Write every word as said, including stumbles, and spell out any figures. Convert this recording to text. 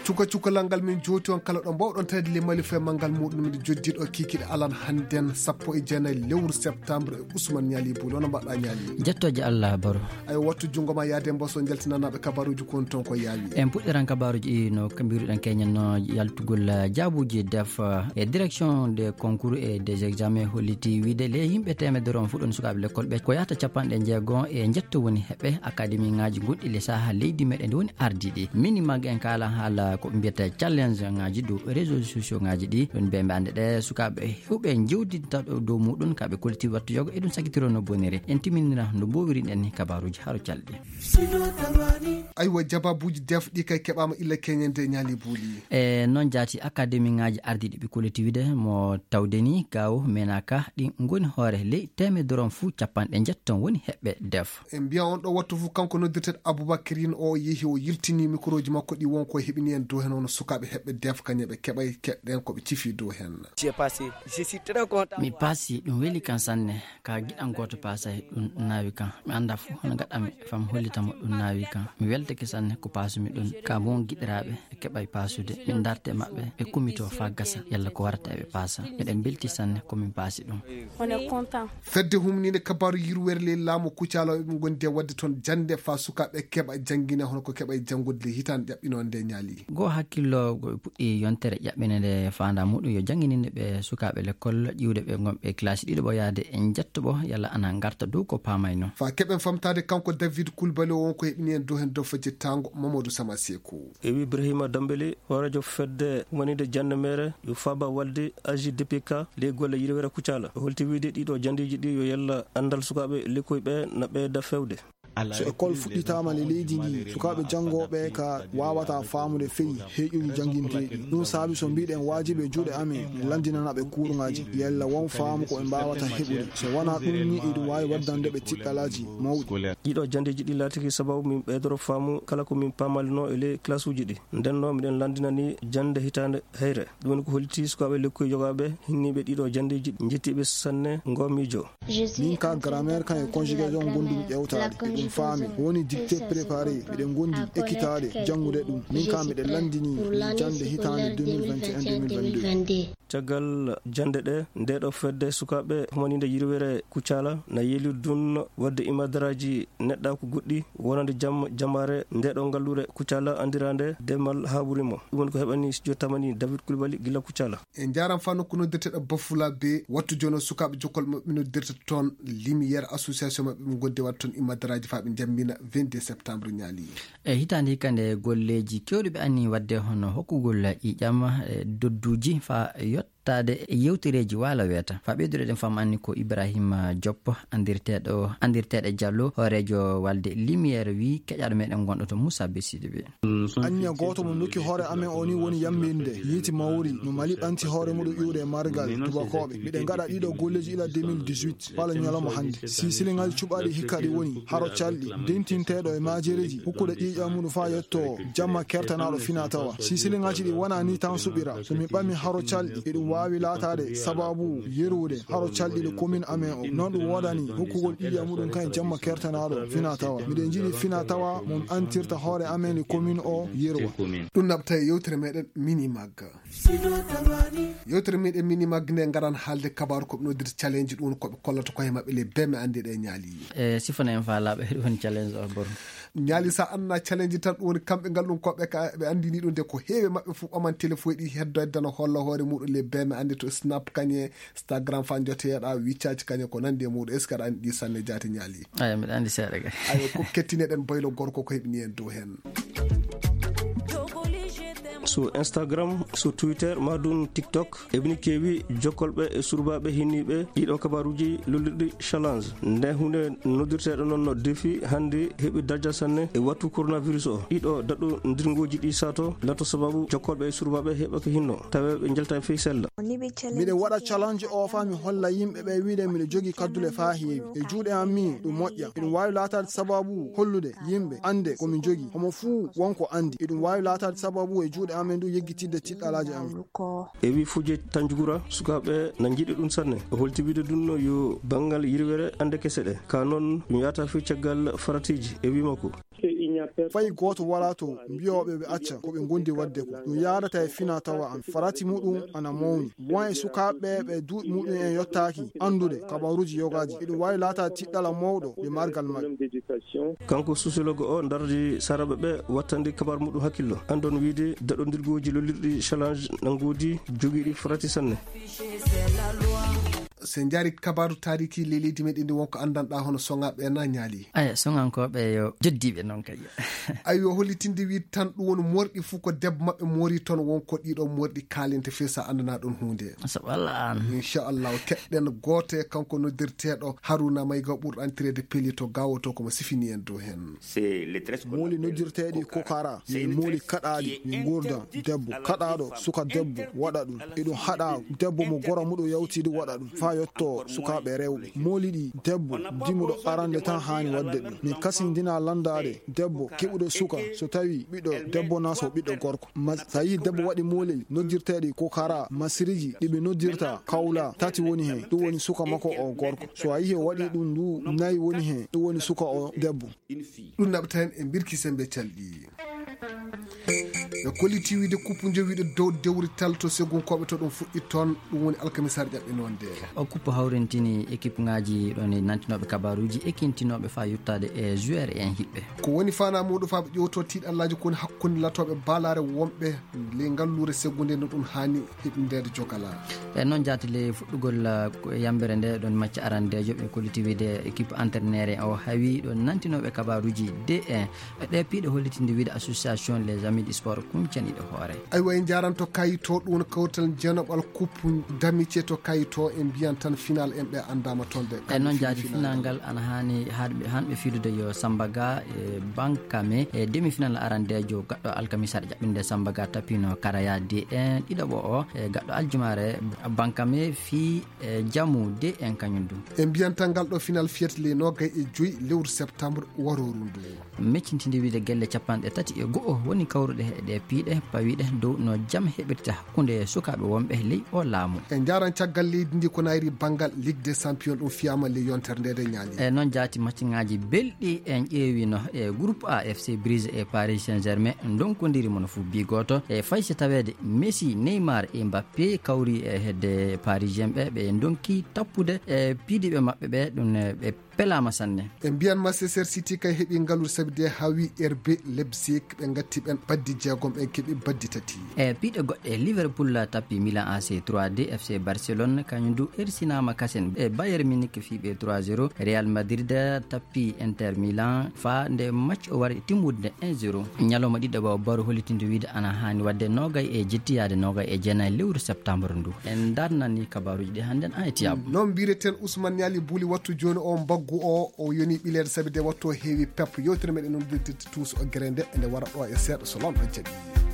Cuka cukalal ngal min jooti on kala ɗo mbawɗon tawde le Mali fee manngal muɗum miɗo joddiiɗo kiikiɗe alan hannden sappo e jeenayi lewru septembre e Ousmane Ñaali Buli. Hono mbaɗɗa Ñaali? Jettooje Allah Baro. Ayo wattu junngo ma yaade mboso njaltinanaaɓe kabaruuji kon toon ko yaawi. En puɗɗiran kabaruuji ɗi no ka mbiruɗen keñen no yaltugol, eh, jaabuuji def, eh, e direction des concours et des examens holliti wiide le yimɓe teemedere on fuɗɗon sukaaɓe lekkol ɓe ko yahata capanɗe jeego e njetto woni heɓɓe akademi ŋaaji gonɗi le saha leydi meɗen ndi woni ardiiɗi. Minimag en kaala haala ko mbiyata challenge ŋaaji dow réseaux sociaux ŋaaji ɗi. Ɗum ɓe mbe annde ɗe sukaaɓe heewɓe jewdinta ɗo dow muɗum ka ɓe kolti wattu yogo e ɗum sakitiro no boniri. En timinira no mbowiri ɗen ni kabaruuji haro calɗi. Aywa, jabaabuuji def ɗi kay keɓaama illa keñende Ñaali Buli. E noon jaati akademi ŋaaji ardiiɗi ɓe kolti wiide mo tawde ni gawo menaka ɗi ngoni hoore ley teemedere on fuu capanɗe njetton woni heɓɓe def. En mbiya on ɗo wattu fof kanko noddirteeɗo Aboubacrine o yehi o yiltini microji makko ɗi won ko heɓini en dow heen hono sukaaɓe heɓɓe def kañe ɓe keɓay keɗɗen ko ɓe cifi dow heen. J'ai passé, je suis très content. Mi paasi, ɗum weli kan sanne. Ka giɗan gooto paasay ɗum naawi kan. Mi annda fof hono gaɗanmi fam hollita mo ɗum naawi kan. Mi weltake sanne ko paasumi ɗum. Ka mon giɗiraaɓe ɓe keɓay paasude. Min ndarte maɓɓe ɓe kumitoo faa gasa yalla ko warata eɓe paasa. Miɗen mbelti sanne ko min paasi ɗum. On est content. Fedde humniinde kabaaru yirwere ley laamu Kucala ɓe ngondi e waɗde toon jannde faa sukaaɓe keɓa janngine hono ko keɓa e janngude ley hitaande ƴaɓɓinoonde Ñaali. Goo hakkillo go ɓe puɗɗi yontere ƴaɓɓinde nde faandaa muɗum yo janngininde ɓe sukaaɓe lekkol ƴiwde ɓe ngonɓe classe ɗiɗo ɓo yaade e njetto ɓo yalla ana ngarta dow ko paamayno. Faa keɓen famtaade kanko David Kulbali o won ko heɓini en dow heen dow fajirtaango Mamadou Sama Seku. E wi Ibrahima Dambeli, hooreejo fedde wonande jannde meere, yo faaba walde A J D P K ley golle yirwere Kucala. O holti wiide ɗiɗo janndeeji ɗi yo yalla anndal sukaaɓe lekkoy ɓe na ɓeyda fewde. So école fuɗɗitaama le leydi ndi, sukaaɓe janngooɓe ka waawataa faamude feyi heƴuuji jannginteeɗi. Ɗum saabi so mbiɗen waajibi e juuɗe amen, en lanndinana ɓe kuurŋaaji, yalla won faamu ko ɓe mbaawata heɓude. So wonaa ɗum ni, eɗum waawi waddande ɓe tiɗɗalaaji mawɗi. Ɗiɗo janndeeji ɗi laatiki sababu min ɓeydoro faamu kala ko min paamalino e ley classe uji ɗi. Nden noon miɗen lanndinani jannde hitaande heyre. Ɗum woni ko hollitii sukaaɓe lekkoy yogaaɓe hinniiɓe ɗiɗo janndeeji ɗi, njettiiɓe sanne ngoo miijo. Min ka grammaire kan e conjugaison gondumi ƴewtaade, eɗum faami. Ko woni dictée préparée, miɗen gondi ekkitaade janngude ɗum. Min ka miɗen lanndini jannde hitaande deux mille vingt et un deux mille vingt-deux. Caggal jannde ɗe, nde ɗo fedde sukaaɓe humaniinde yirwere Kucala na yeeli dun waɗde imadaraaji neɗɗaaku goɗɗi wonande jam-, jamaare nde ɗo ngalluure Kucala anndiraande Demal Haburimo. Ɗum woni ko heɓani studio tamani David Kulbali gila Kucala. En njaaraama faa nokku noddirteeɗo Bafula be wattu jono sukaaɓe jokkol maɓɓe noddirta toon Lumière association maɓɓe ɓe ngodde waɗa toon imadaraaji faa ɓe njammina vingt-deux septembre Ñaali. E hitaande hikka nde golleeji keewɗi ɓe anni waɗde hono hokkugol ƴiiƴam, e dodduuji faa yottaade e yewtereeji waala weeta. Faa ɓeydude ɗen fam anni ko Ibrahima Diop, anndirteeɗo, anndirteeɗo Diallo, hooreejo walde Lumière wi keƴaaɗo meɗen gonɗo to Moussa Bessidi ɓe. Anniya gooto mo nokki hoore amen o ni woni yamminde yiiti mawri no Mali ɓanti hoore muɗum iwde e margal tubakooɓe. Miɗen ngaɗa ɗiɗo golleeji ila deux mille dix-huit. Pala ñalawma hannde. Si siliŋaaji cuɓaaɗi hikka ɗi woni haro calɗi, dentinteeɗo e maajereeji, hukkude ƴiiƴam muɗum faa yetto jamma kertanaaɗo fina tawa. Si siliŋaaji ɗi wonaa ni tan suɓira, so min ɓami haro calɗi, eɗum waawi laataade sababu yerude haro calɗi ɗo commune amen o. Noon ɗum woodani hukkugol ƴiiƴam muɗum kan e jamma kertanaaɗo fina tawa. Miɗen njiɗi fina tawa mo antirta hoore amen e commune o yerwa. Ɗum naɓta e yewtere meɗen Minimag. Yewtere meɗen Minimag nde ngaran haalde kabaaru ko ɓe noddirta challenge, ɗum ko ɓe kollata koye maɓɓe le beme ande ɗe Ñaali. E sifana en faalaaɓe ɗum woni challenge o Boro. Ñaali sa anna challenge tan ɗum woni kamɓe ngal ɗum ko ɓe ka, ɓe andini ɗum de ko heewe maɓɓe fof ɓaman téléphone ɗi heddo heddana holla hoore muɗum le beme ande to Snap kañe, Instagram fa joteeɗa, WeChat kañe ko nandi e muɗum. Est-ce que aɗa andi ɗi sanne jaati Ñaali? Aya, mbiɗa andi seeɗa kay. Ayo, ko kettineɗen boylo gorko ko heɓini en dow hen. So Instagram, so Twitter, ma ɗum TikTok, eɓini keewi jokkolɓe e surbaaɓe hinniiɓe ɗiɗo kabaruuji lullirɗi challenge. Nde huunde noddirteeɗo noon no défi hannde heɓi darja sanne e wattu coronavirus o. Ɗiɗo daɗɗo ndirngooji ɗi sato lato sababu jokkolɓe e surbaaɓe heɓa ko hinno, tawe ɓe njalta e fey sella. Miɗen waɗa challenge o faa mi holla yimɓe ɓe wiide miɗo jogii kaddule faa heewi. E juuɗe am mi ɗum moƴƴa. Eɗum waawi laataade sababu hollude yimɓe annde ko min jogii. Homo fuu won ko anndi. Eɗum waawi laataade sababu e juuɗe amen ɗum yeggitidde tiɗɗalaaji amen. E wi Fuje Tanjugura, sukaaɓe na njiɗi ɗum sanne. O holti wiide ɗum no yo banngal yirwere annde kese ɗe. Ka noon ɗum yahata fii caggal faratiiji e wi makko. Fay gooto walaa to mbiyooɓe ɓe acca ko ɓe ngondi waɗde ko. Ɗum yaadata e fina tawa an. Farati muɗum ana mawni. Won e sukaaɓe ɓe duuɓi muɗum en yottaaki anndude kabaruuji yogaaji. Eɗum waawi laataade tiɗɗala mawɗo e margal maɓɓe. Kanko sociologue o dardi saraaɓe ɓe wattande kabaru muɗum hakkillo. Anndon wiide daɗondirgooji lollirɗi challenge nanngudi jogiiɗi farati sanne. So en njaari kabaaru taariki ley leydi meɗen ndi, wonko anndanɗaa hono soŋaaɓe na ñaali? Aya, soŋankooɓe yo joddiiɓe noon kay. Aywa, hollitinde wiide tan ɗum woni morɗi fof ko debbo maɓɓe moori toon, wonko ɗiɗo morɗi kaalinte fii so a anndanaa ɗoon huunde. So walla aan. Inchallahu, keɗɗen gooto e kanko noddirteeɗo Haruna Mayga ɓurɗo anndireede Peli to Gaawo to, ko mo sifini en dow heen. Mooli noddirteeɗi kokara, yo mooli kaɗaaɗi, yo nguurdan debbo. Kaɗaaɗo suka debbo waɗa ɗum. Eɗum haɗa debbo mo gora muɗum yawtiiɗo waɗa ɗum faa yottoo sukaaɓe rewɓe. Mooli ɗi debbo dimuɗo arande tan haani waɗde ɗum. Min kasindina lanndaade debbo keɓuɗo suka so tawii ɓiɗɗo debbo naa so ɓiɗɗo gorko. Ma, so a yii debbo waɗi moolel noddirteeɗi kokara, masiriji ɗi ɓe noddirta kawla tati woni heen. Ɗum woni suka makko o gorko. So a yii o waɗi ɗum ndu nayi woni heen. Ɗum woni suka o debbo. Ɗum naɓata heen e mbirki sembe calɗi. Ɓe kolliti wiide kuppu jowiiɗo dow dewrital to segunkooɓe to ɗum fuɗɗi toon, ɗum woni alkamisaare ƴaɓɓe noon de. O kuppu hawrintini équipe ŋaaji ɗon e nantinooɓe kabaruuji e kintinooɓe faa yottaade e joueur en hiɓɓe. Ko woni faanaa muuɗum faa ɓe ƴeewtoo tiiɗallaaji ko woni hakkunde latooɓe baalaare wonɓe ley ngalluure seggunde no ɗum haani heɓindeede jogala. E noon jaati ley fuɗɗugol yambere nde ɗon macca arandeejo ɓe kolliti wiide équipe entraîneur o hawi ɗon nantinooɓe kabaruuji de e ɗe piiɗe hollitinde wiide association les amis du sport kuncaniiɗo hoore. Aywa, en njaaranto kayito ɗum woni kawtal jeenaɓal coupe d'amitié to kayito, en mbiyan tan final en ɓe anndaama toon de. E noon jaati final ngal ana haani hanɓe fiidude yo Samba Ga e Bankame e demi final arandeejo gaɗɗo alkamisaare ƴaɓɓinde Samba Ga tapino Karaya D un, ɗiɗaɓo o e gaɗɗo aljumaare Bankame fii e jamu D un kañum du. En mbiyan tan ngal ɗo final fiyete ley noogay e joyi lewru septembre warooru ndu. Meccintinde wiide gelle capanɗe tati e go'o woni kawruɗe e ɗe piiɗe pawiɗe dow no jam heɓirta hakkunde sukaaɓe wonɓe ley o laamu. E njaaran caggal leydi ndi ko nayri banngal Ligue des Champions ɗum fiyaama ley yontere nde de ñaali. E noon jaati macciŋaaji belɗi en ƴeewino e groupe A F C Brise e Paris Saint-Germain ndonkondiri mo no fuu bi gooto e fay si taweede Messi, Neymar e Mbappé kawri e hedde Parisien ɓe ɓe ndonki tappude e piidiiɓe maɓɓe ɓe ɗum ɓe pelaama sanne. E mbiyan Manchester City kay heɓi ngaluuji sabi de hawi R B Leipzig ɓe ngatti ɓen baddi jeegom ɓen keɓi baddi tati. E piiɗe goɗɗe Liverpool tappi Milan A C trois deux, F C Barcelone kañum du ersinaama kasen e Bayern Munich fii ɓe trois zéro, Real Madrid tappi Inter Milan faa nde match o wari timmude un zéro. Ñalawma ɗiɗaɓo baro hollitinde wiide ana haani waɗde noogay e jetti yaade noogay e jeenay lewru septembre ndu. En darnani kabaruuji ɗi hannden a etiyaabu. Noon mbireten Ousmane Niali Buli wattu jooni o mbaggu o o yoni ɓileede sabi de wattu o heewi pep. Yewtere meɗen noon dirtirte tuuso o gere nde nde wara ɗo e seeɗa so lanɗo jaɓi.